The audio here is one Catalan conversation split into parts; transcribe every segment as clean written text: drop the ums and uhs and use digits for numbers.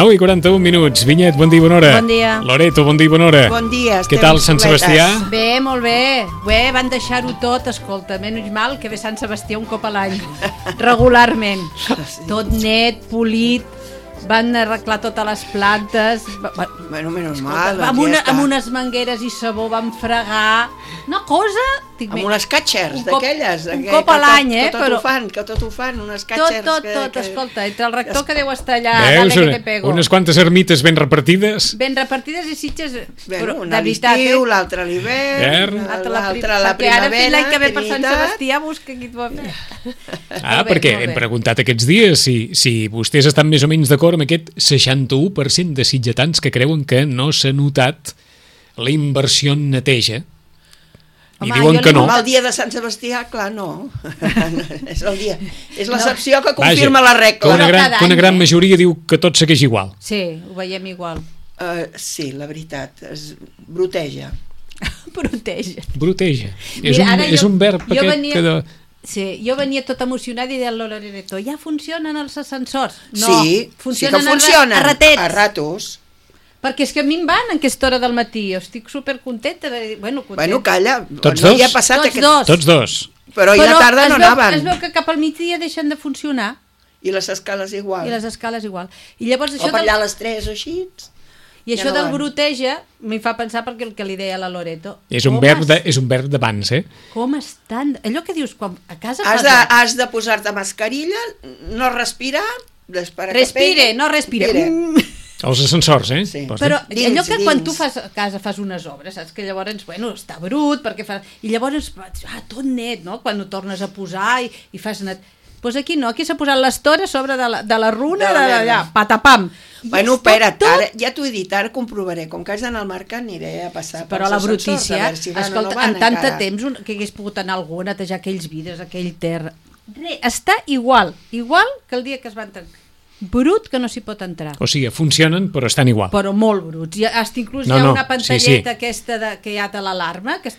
I 41 minuts. Vinyet, bon dia i bona hora. Bon dia. Loreto, bon dia i bona hora. Bon dia. Què tal, Sant Sebastià? Bé, molt bé. Bé, van deixar-ho tot, escolta, menys mal que ve Sant Sebastià un cop a l'any, regularment. Tot net, polit, van arreglar totes les plantes. Bueno, menys mal. Amb unes mangueres i sabó van fregar. Una cosa... Amb unes catxers d'aquelles. Un cop a l'any, Que tot ho fan, unes catxers. Tot, escolta, entre el rector que deu estar allà, dale que te pego. Unes quantes ermites ben repartides. Ben repartides i Sitges... Una a l'estiu, l'altra a l'hivern, l'altra a la primavera. Ara fins l'any que ve per Sant Sebastià busca qui t'ho va fer. Perquè hem preguntat aquests dies si vostès estan més o menys d'acord amb aquest 61% de sitgetans que creuen que no s'ha notat la inversió en neteja. I diuen que no. El dia de Sant Sebastià, clar, no. És el dia. És l'excepció que confirma la regla. Que una gran majoria diu que tot segueix igual. Sí, ho veiem igual. Sí, la veritat, es bruteja. Bruteja. És un verb aquest que... Sí, jo venia tot emocionada i deia Loreto, ja funcionen els ascensors. No, sí, funcionen a ratets. A ratos. Perquè és que a mi em van en aquesta hora del matí. Jo estic supercontenta. Bueno, calla. Tots dos? Tots dos. Però i la tarda no anaven. Es veu que cap al migdia deixen de funcionar. I les escales igual. I llavors això o per allà a les 3 o així. I això del bruteja m'hi fa pensar perquè el que li deia la Loreto. És un verb d'abans, Com estan... Allò que dius, quan a casa... Has de posar-te mascarilla, no respirar... Respire, no respire. Els ascensors, Sí. Però allò que quan tu a casa fas unes obres, saps que llavors, està brut, perquè i llavors, tot net, no? Quan ho tornes a posar i fas net. Doncs aquí no, aquí s'ha posat l'estora a sobre de la runa, d'allà, patapam. Bueno, espera't, ara, ja t'ho he dit, ara comprovaré, com que has d'anar al mercat aniré a passar però la brutícia, escolta, en tant de temps que hagués pogut anar algú a netejar aquells vidres, aquell terra, està igual que el dia que es van tancar. Brut que no s'hi pot entrar. O sigui, funcionen però estan igual. Però molt bruts. Hasta inclús hi ha una pantalleta aquesta que hi ha de l'alarma que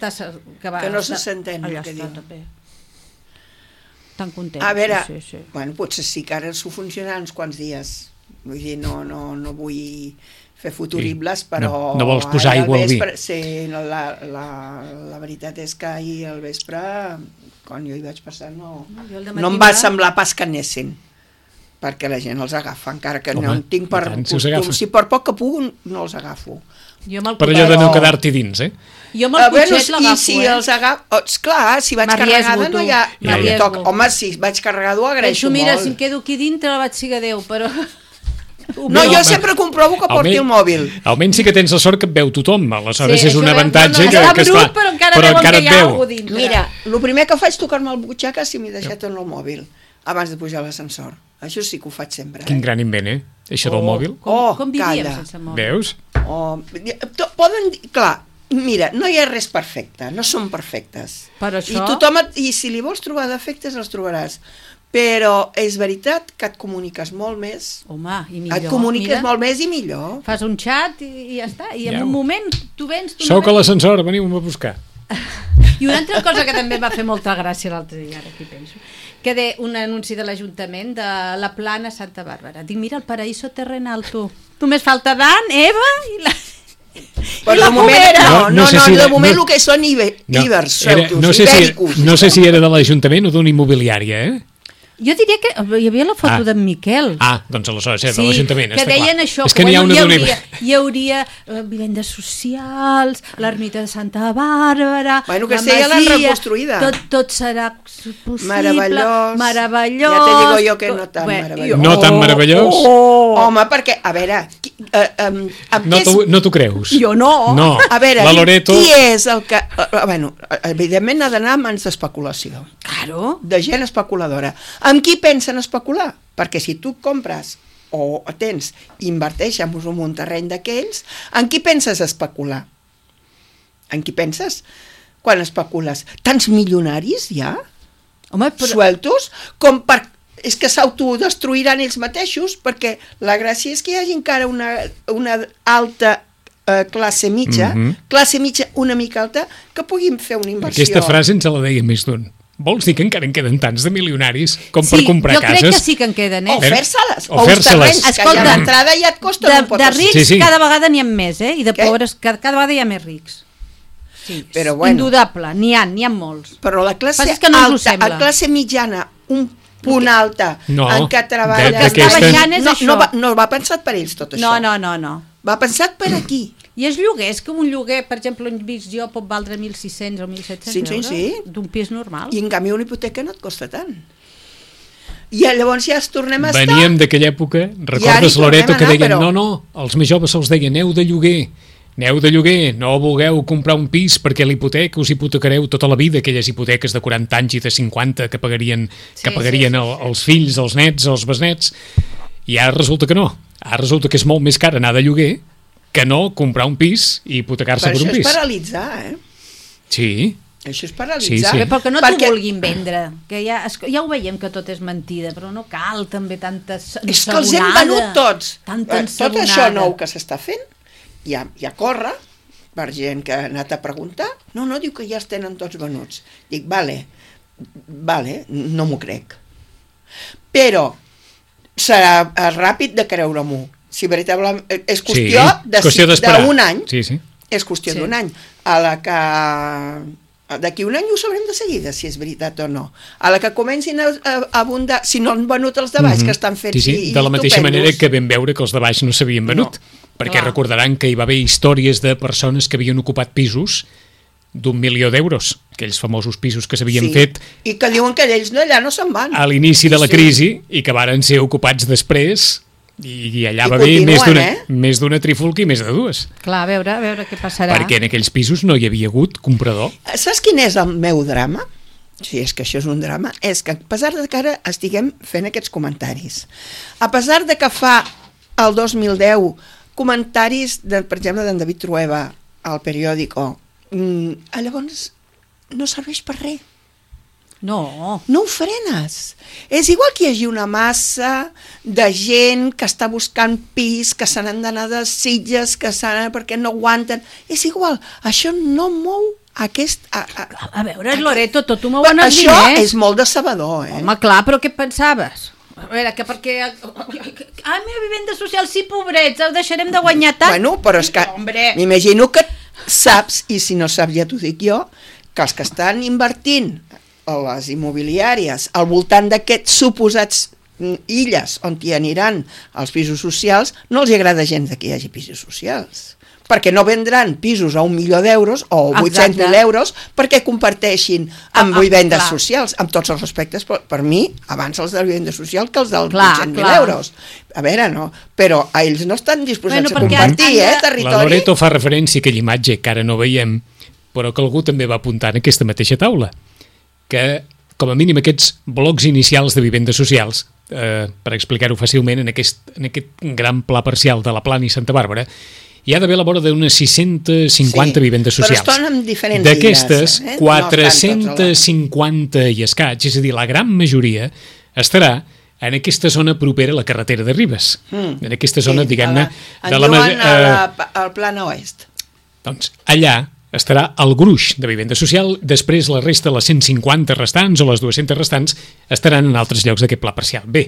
no se senten el que diu. Tan content. A veure, bueno, potser sí que ara s'ho funcionarà uns quants dies. Vull dir, no vull fer futuribles, però... No vols posar aigua al vi. Sí, la veritat és que ahir al vespre, quan jo hi vaig passar, no em va semblar pas que anessin. Perquè la gent els agafa, encara que no en tinc per costum. Si per poc que puc, no els agafo. Per allò de no quedar-t'hi dins, Jo amb el cotxet l'agafo, I si els agafo... Clar, si vaig carregada no hi ha... Home, si vaig carregada ho agraeixo molt. Mira, si em quedo aquí dintre la vaig siga Déu, però... No, jo sempre comprovo que porti el mòbil. Almenys sí que tens la sort que et veu tothom, aleshores és un avantatge que està brut, però encara et veu. Mira, el primer que faig és tocar-me el butxaca si m'he deixat en el mòbil abans de pujar a l'ascensor. Això sí que ho faig sempre. Quin gran invent, això del mòbil. Com vivíem sense mòbil? Veus? Poden dir, clar, mira, no hi ha res perfecte, no són perfectes. Per això... I si li vols trobar defectes els trobaràs. Però és veritat que et comuniques molt més. Home, i millor. Et comuniques molt més i millor. Fas un xat i ja està. I en un moment tu vens... Soc a l'ascensor, veniu-me a buscar. I una altra cosa que també va fer molta gràcia l'altre dia, ara aquí penso, que de un anunci de l'Ajuntament de la Plana Santa Bàrbara. Dic, mira, el paraíso terrenal, tu. Només falta Dan, Eva i la... Però de moment, de moment el que són ibers, ibèricos. No sé si era de l'Ajuntament o d'una immobiliària, Jo diria que hi havia la foto d'en Miquel. Doncs aleshores era de l'Ajuntament, que deien això, és que hi hauria vivendes socials, l'ermita de Santa Bàrbara, que ja l'han reconstruïda. Tot serà possible, meravellós. Ja te digo jo que no tan meravellós. No tan meravellós? Home, perquè, a veure... No t'ho creus? Jo no. A veure, Loreto... qui és el que... Bueno, evidentment ha d'anar a mans d'especulació. Claro. De gent especuladora. Amb qui pensen especular? Perquè si tu compres o tens, inverteix en un terreny d'aquells, en qui penses especular? En qui penses? Quan especules? Tants milionaris hi ha? Home, sueltos? Com per... És que s'autodestruiran ells mateixos, perquè la gràcia és que hi hagi encara una alta classe mitja, classe mitja una mica alta, que puguin fer una inversió. Aquesta frase ens la deia més d'un. Vols dir que encara en queden tants de milionaris com per comprar cases? Sí, jo crec que sí que en queden, O fer-se-les, o uns terrenys que ja d'entrada ja et costen un pot. De rics cada vegada n'hi ha més, i de pobres cada vegada hi ha més rics. Sí, però bueno, indudable, n'hi ha molts. Però la classe alta, la classe mitjana, un punt alta, en què treballa... No va pensat per ells tot això. No. Va pensat per aquí. I els lloguers, que un lloguer, per exemple, on visc jo, pot valdre 1.600 o 1.700 euros d'un pis normal. I en canvi una hipoteca no et costa tant. I llavors ja tornem a estar... Veníem d'aquella època, recordes, Loreto, que deien, no, els més joves se'ls deien, aneu de lloguer, no vulgueu comprar un pis perquè l'hipoteca us hipotecareu tota la vida, aquelles hipoteques de 40 anys i de 50 que pagarien els fills, els nets, els besnets, i ara resulta que no. Ara resulta que és molt més car anar de lloguer que no comprar un pis i hipotecar-se per un pis. Però això és paralitzar, Sí. Això és paralitzar. Sí. Perquè no t'ho vulguin vendre, que ja ho veiem que tot és mentida, però no cal també tanta ensabonada. És que els hem venut tots. Tot això nou que s'està fent, ja corre per gent que ha anat a preguntar. No, diu que ja es tenen tots venuts. Dic, vale, no m'ho crec. Però serà ràpid de creure-m'ho. Si veritablement és qüestió d'un any. Sí. És qüestió d'un any. A la que d'aquí un any ho sabrem de seguida, si és veritat o no. A la que comencin a abundar, si no han venut els de baix, que estan fets i de la mateixa manera que vam veure que els de baix no s'havien venut. Perquè recordaran que hi va haver històries de persones que havien ocupat pisos d'1.000.000 d'euros, aquells famosos pisos que s'havien fet... I que diuen que ells allà no se'n van. A l'inici de la crisi, i que varen ser ocupats després... I allà va haver més d'una trifulca i més de dues. Clar, a veure què passarà. Perquè en aquells pisos no hi havia hagut comprador. Saps quin és el meu drama? Si és que això és un drama, és que a pesar de que ara estiguem fent aquests comentaris, a pesar de que fa el 2010 comentaris, per exemple, d'en David Trueba al periòdico, llavors no serveix per res. No ho frenes. És igual que hi hagi una massa de gent que està buscant pis, que se n'han d'anar de Sitges, perquè no aguanten. És igual, això no mou aquest... A veure, Loreto, tot ho mouen els diners. Això és molt decebedor, Home, clar, però què pensaves? A veure, que perquè... meva vivenda social, sí, pobrets, ho deixarem de guanyar tant. Bueno, però és que m'imagino que saps, i si no saps ja t'ho dic jo, que els que estan invertint a les immobiliàries al voltant d'aquests suposats illes on hi aniran els pisos socials, no els agrada gens que hi hagi pisos socials, perquè no vendran pisos a 1.000.000 d'euros o 800.000 euros perquè comparteixin amb vivendes socials, amb tots els respectes, per mi abans els de la vivenda social que els dels 800.000 euros. A veure, no, però ells no estan disposats a compartir territori. La Loreto fa referència a aquella imatge que ara no veiem, però que algú també va apuntar en aquesta mateixa taula, que com a mínim aquests blocs inicials de vivendes socials, per explicar-ho fàcilment, en aquest gran pla parcial de la Plana i Santa Bàrbara, hi ha d'haver a la vora d'unes 650 vivendes socials. Però estan en diferents d'aquestes, 450 i escaig, és a dir, la gran majoria, estarà en aquesta zona propera a la carretera de Ribes. En aquesta zona, diguem-ne... En diuen al Plana Oest. Doncs allà estarà el gruix de vivenda social, després la resta, les 150 restants o les 200 restants, estaran en altres llocs d'aquest pla parcial. Bé,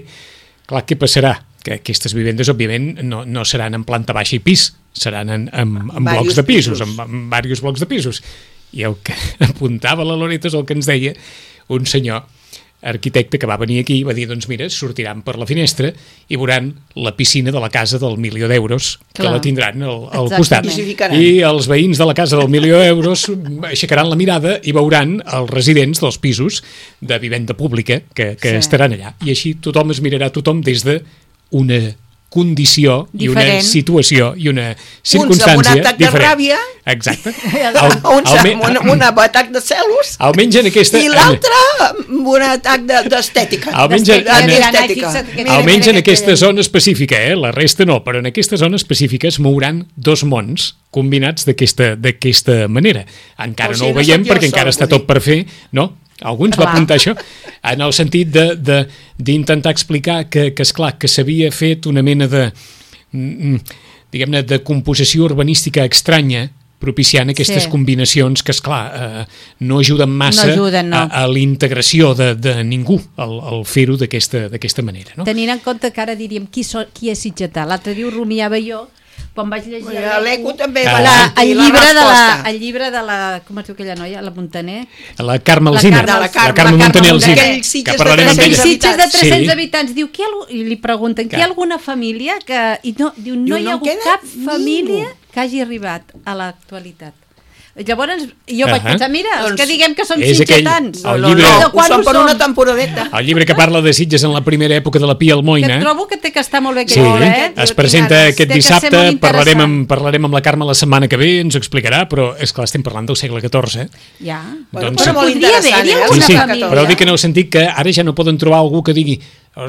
clar, què passarà? Que aquestes vivendes, òbviament, no seran en planta baixa i pis, seran en blocs de pisos, en diversos blocs de pisos. I el que apuntava la Loreta és el que ens deia un senyor arquitecte que va venir aquí i va dir, doncs mira, sortiran per la finestra i veuran la piscina de la casa del milió d'euros, que la tindran al costat. I els veïns de la casa del milió d'euros aixecaran la mirada i veuran els residents dels pisos de vivenda pública que estaran allà. I així tothom es mirarà tothom des d'una condició i una situació i una circumstància uns amb un atac de ràbia, exacte, uns amb un atac de celos, almenys en aquesta, i l'altre amb un atac d'estètica, almenys en aquesta zona específica, la resta no, però en aquesta zona específica es mouran dos mons combinats d'aquesta manera. Encara no ho veiem perquè encara està tot per fer, no? Algú ens va apuntar això, en el sentit d'intentar explicar que esclar, que s'havia fet una mena de, diguem-ne, de composició urbanística estranya, propiciant aquestes combinacions que, esclar, no ajuden massa a la integració de ningú al fer-ho d'aquesta manera. No? Tenint en compte que ara diríem qui és sitgetà. L'altre dia ho rumiava jo, quan vaig llegir l'Eco també el llibre de la com es diu aquella noia, la Montaner, la Carme Alsina, la Carme Montaner Alsina, que parlarem amb ella. Sitges de 300 habitants, diu, i li pregunten, hi ha alguna família que, i no hi ha hagut cap família que hagi arribat a l'actualitat. Llavors jo vaig pensar, mira, els que diguem que són sitgetans, ho són per una temporadeta. El llibre que parla de Sitges en la primera època de la Pia Almoina, que trobo que té que estar molt bé aquest llibre, es presenta aquest dissabte, parlarem amb la Carme la setmana que ve, ens ho explicarà, però és clar, estem parlant del segle XIV. Ja, però molt interessant, però dic en el sentit que ara ja no poden trobar algú que digui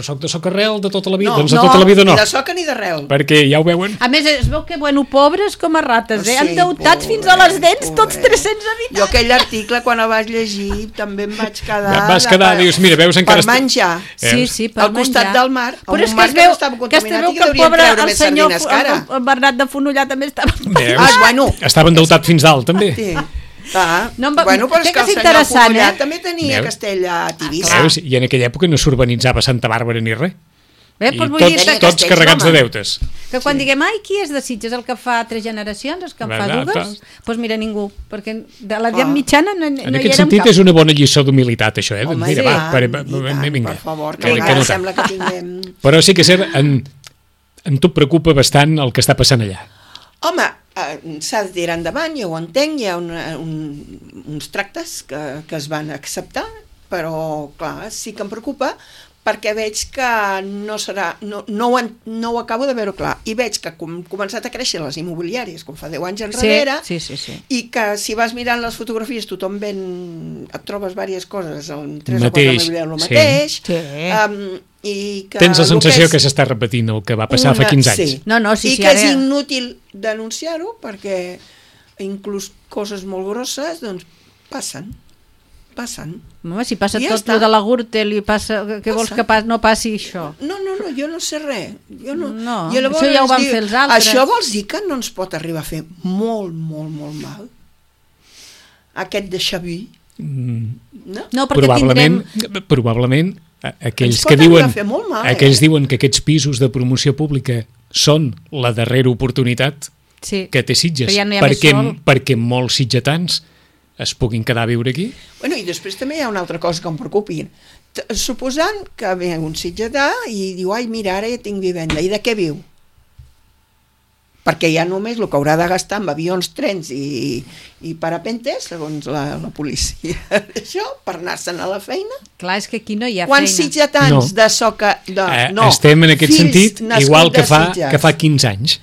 soc de Socarrel de tota la vida, doncs de tota la vida no. Ni de Soca ni d'arrel. Perquè ja ho veuen. A més, es veu que, pobres com a rates, endeutats fins a les dents, tots 300 habitants. Jo aquell article, quan el vaig llegir, també em vaig quedar... Vas quedar, dius, mira, veus encara... Per menjar. Sí, per menjar. Al costat del mar, però és que es veu que el pobre, el senyor Bernat de Fonollar també estava... Estava endeutat fins dalt, també. Sí. Però és que el senyor Fonollar també tenia castell a Tivissa. I en aquella època no s'urbanitzava Santa Bàrbara ni res. I tots carregats de deutes. Que quan diguem, qui és de Sitges, el que fa 3 generacions, el que en fa 2, doncs mira, ningú, perquè de l'edat mitjana no hi érem cap. En aquest sentit és una bona lliçó d'humilitat, això, Home, mira, per favor, que encara sembla que tinguem... Però sí que és cert, en tu preocupa bastant el que està passant allà. Home, s'ha de tirar endavant, jo ho entenc, hi ha uns tractes que es van acceptar, però clar, sí que em preocupa perquè veig que no serà, no ho acabo de veure clar, i veig que han començat a créixer les immobiliàries com fa 10 anys enrere, i que si vas mirant les fotografies tothom et trobes diverses coses en 3 o 4 immobiliàries el mateix, i que tens la sensació que s'està repetint el que va passar fa 15 anys. I que és inútil denunciar-ho perquè inclús coses molt grosses doncs passen. Home, si passa tot lo de la Gürtel i passa, què vols que no passi això? No, jo no sé res. Això ja ho van fer els altres. Això vols dir que no ens pot arribar a fer molt, molt, molt mal? Aquest de Xavi? No, perquè probablement aquells que diuen que aquests pisos de promoció pública són la darrera oportunitat que té Sitges, perquè molts sitgetans es puguin quedar a viure aquí. Bueno, i després també hi ha una altra cosa que em preocupi. Suposant que ve un sitgetà i diu, mira, ara ja tinc vivenda, i de què viu? Perquè ja només el que haurà de gastar amb avions, trens i parapentes, segons la policia, això, per anar-se'n a la feina. Clar, és que aquí no hi ha Quants sitgetans de Soca... Estem en aquest sentit igual que fa 15 anys.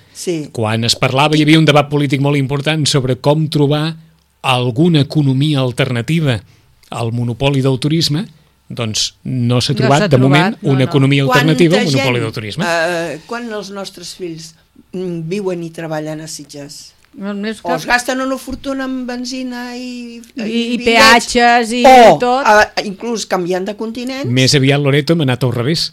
Quan es parlava, hi havia un debat polític molt important sobre com trobar alguna economia alternativa al monopoli del turisme, doncs no s'ha trobat de moment una economia alternativa al monopoli del turisme. Quan els nostres fills viuen i treballen a Sitges? O es gasten una fortuna en benzina i peatges i tot. O inclús canviant de continent. Més aviat, Loreto, hem anat al revés.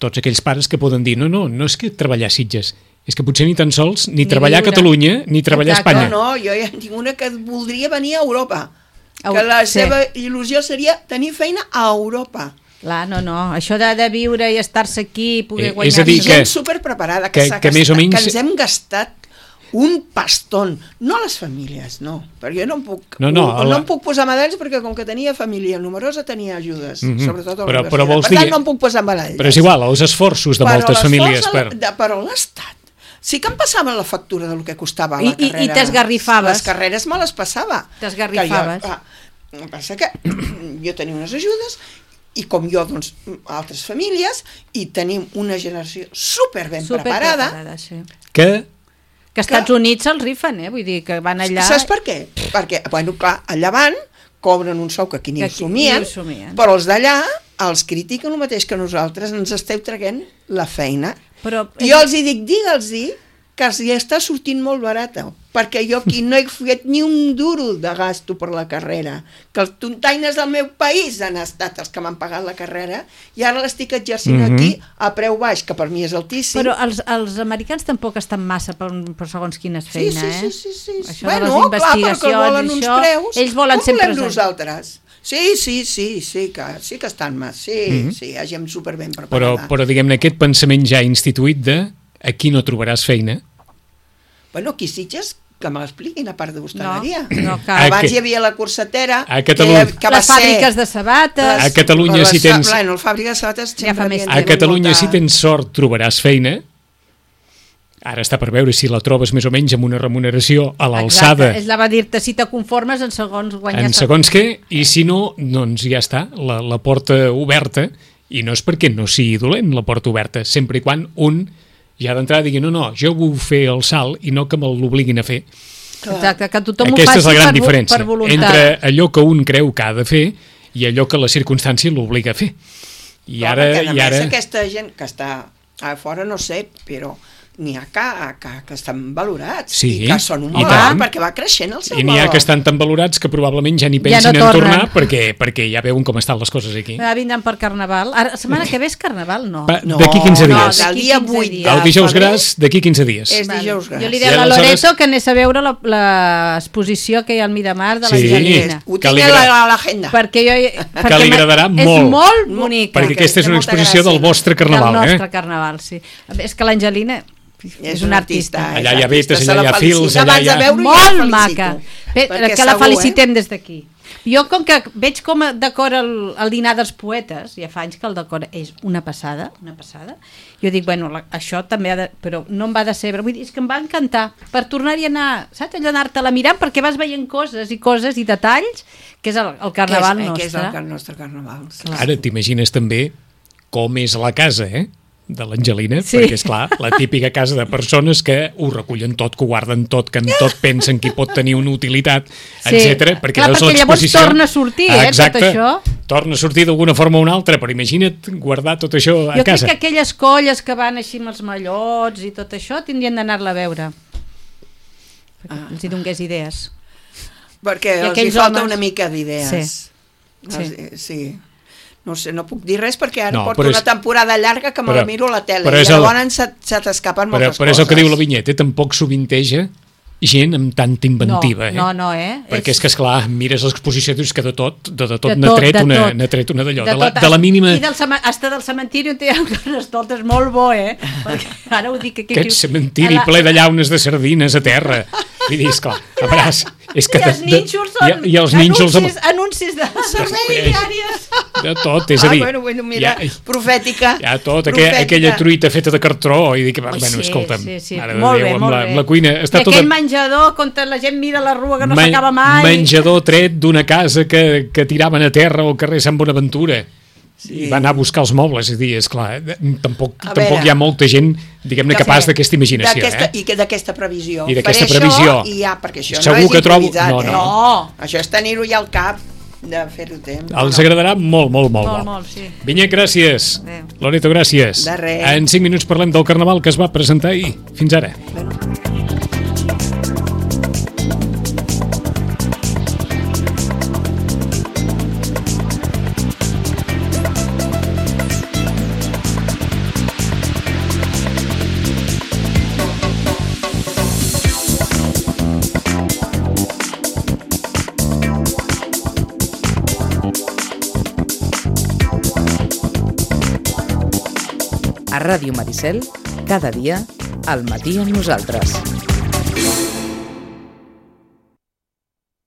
Tots aquells pares que poden dir no és que treballar a Sitges, és que potser ni tan sols ni treballar a Catalunya ni treballar a Espanya. No, jo ja tinc una que voldria venir a Europa, que la seva il·lusió seria tenir feina a Europa. Clar, no, això de viure i estar-se aquí i poder guanyar... És a dir, gent superpreparada que ens hem gastat un pastón, no a les famílies, no, perquè jo no em puc posar medalls perquè com que tenia família numerosa tenia ajudes, sobretot a la universitat. Per tant, no em puc posar medalls. Però és igual, els esforços de moltes famílies. Però l'Estat, sí que em passava la factura del que costava la carrera. I t'esgarrifaves. Les carreres me les passava. T'esgarrifaves. El que passa que jo tenia unes ajudes i com jo, doncs, altres famílies, i tenim una generació superben preparada. Que als Estats Units se'ls rifen, vull dir, que van allà... Saps per què? Perquè, bueno, clar, allà van, cobren un sou que aquí ni ho somien, però els d'allà els critiquen el mateix que nosaltres, ens esteu traient la feina. Però... Jo els dic, digue'ls-hi que els hi està sortint molt barata, perquè jo aquí no he fet ni un duro de gasto per la carrera, que els tontaines del meu país han estat els que m'han pagat la carrera i ara l'estic exercint aquí a preu baix, que per mi és altíssim. Però els americans tampoc estan massa per segons quines feines, Sí. Això de les investigacions, clar, volen uns preus, ells volen sempre... Com volem nosaltres? Sí que estan més, sí, ha gent superben preparada. Però diguem-ne, aquest pensament ja instituït de aquí no trobaràs feina. Bueno, aquí Sitges, que me l'expliquin, a part d'hostaleria. No, abans hi havia la Corsetera, a Catalunya, les fàbriques de sabates... A Catalunya, si tens... Bueno, les fàbriques de sabates... A Catalunya, si tens sort, trobaràs feina. Ara està per veure si la trobes més o menys amb una remuneració a l'alçada. Exacte, ella va dir-te si te conformes en segons guanyar... En segons què, i si no, doncs ja està, la porta oberta, i no és perquè no sigui dolent la porta oberta, sempre i quan un ja d'entrada digui, no, jo vull fer el salt i no que me l'obliguin a fer. Exacte, que tothom ho Aquesta faci és la gran per diferència voluntat. entre allò que un creu que ha de fer i allò que la circumstància l'obliga a fer. I ara... aquesta gent que està a fora, no sé, però n'hi ha que estan valorats i que són un valor perquè va creixent el seu valor. I n'hi ha que estan tan valorats que probablement ja ni pensin en tornar perquè ja veuen com estan les coses aquí. Vindran per Carnaval. Ara, la setmana que ve és Carnaval, no? D'aquí 15 dies. El dia 8 el dijous gras, d'aquí 15 dies. És dijous gras. Jo li deia a la Loreto que anés a veure l'exposició que hi ha al Miramar de l'Angelina. Ho tinc a l'agenda. Que li agradarà molt. És molt bonica. Perquè aquesta és una exposició del vostre Carnaval. Del nostre Carnaval, sí. És que l'Angelina... és un artista. Allà hi ha vetes, allà hi ha fils, allà hi ha... Molt maca. Que la felicitem des d'aquí. Jo, com que veig com decora el dinar dels poetes, ja fa anys que el decora, és una passada, jo dic, bueno, això també ha de... Però no em va decebre, vull dir, és que em va encantar, per tornar-hi a anar, saps, allò anar-te-la mirant, perquè vas veient coses i detalls, que és el Carnaval nostre. Que és el nostre Carnaval. Ara t'imagines també com és la casa, de l'Angelina, perquè és clar, la típica casa de persones que ho recullen tot, que ho guarden tot, que en tot pensen que hi pot tenir una utilitat, etc. Perquè veus l'exposició... llavors torna a sortir, tot això. Torna a sortir d'alguna forma o una altra, però imagina't guardar tot això a casa. Jo crec que aquelles colles que van així amb els mallots i tot això tindrien d'anar-la a veure. Perquè els hi donés idees. Perquè els hi falta una mica d'idees. Sí. No sé, no puc dir res perquè ara porto una temporada llarga que me la miro a la tele i llavors se t'escapen moltes coses. Però és el que diu la vinyeta, tampoc sovinteja gent amb tanta inventiva. No, Perquè és que, esclar, mires l'exposició i dius que de tot n'ha tret una d'allò, de la mínima... I hasta del cementiri on hi ha unes tortes molt bo, perquè ara ho dic aquí... Aquest cementiri ple de llaunes de sardines a terra. I dius, clar, a veuràs... I els nínxols són anuncis de serveis diàries. De tot, és a dir... mira, profètica. Ja tot, aquella truita feta de cartró, i dic, bueno, escolta'm, mare de Déu, amb la cuina... I aquell menjador, on la gent mira la rua que no s'acaba mai... Menjador tret d'una casa que tiraven a terra al carrer Sant Bonaventura. I va anar a buscar els mobles, és a dir, esclar, tampoc hi ha molta gent, diguem-ne, capaç d'aquesta imaginació. I d'aquesta previsió. I d'aquesta previsió. Perquè això no és improvisat. No. Això és tenir-ho ja al cap, de fer-ho temps. Els agradarà molt. Molt, sí. Vinyet, gràcies. Loreto, gràcies. De res. En 5 minuts parlem del Carnaval que es va presentar ahir. Fins ara. A Ràdio Maricel, cada dia, al matí amb nosaltres.